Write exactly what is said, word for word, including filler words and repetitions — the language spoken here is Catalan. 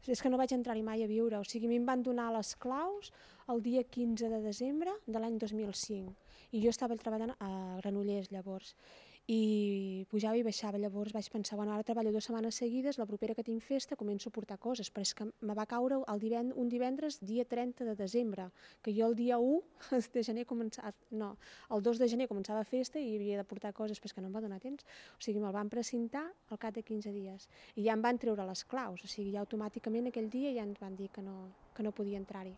És que no vaig entrar-hi mai a viure, o sigui, a mi em van donar les claus el dia quinze de desembre de l'any dos mil cinc i jo estava treballant a Granollers llavors i pujava i baixava, llavors vaig pensar, bueno, ara treballo dues setmanes seguides, la propera que tinc festa començo a portar coses, però és que me va caure el divend un divendres dia trenta de desembre, que jo el dia u de gener començava, no, el dos de gener començava festa i havia de portar coses, però és que no em va donar temps, o sigui, me'l van precintar al cap de quinze dies i ja em van treure les claus, o sigui, ja automàticament aquell dia ja ens van dir que no, que no podia entrar-hi.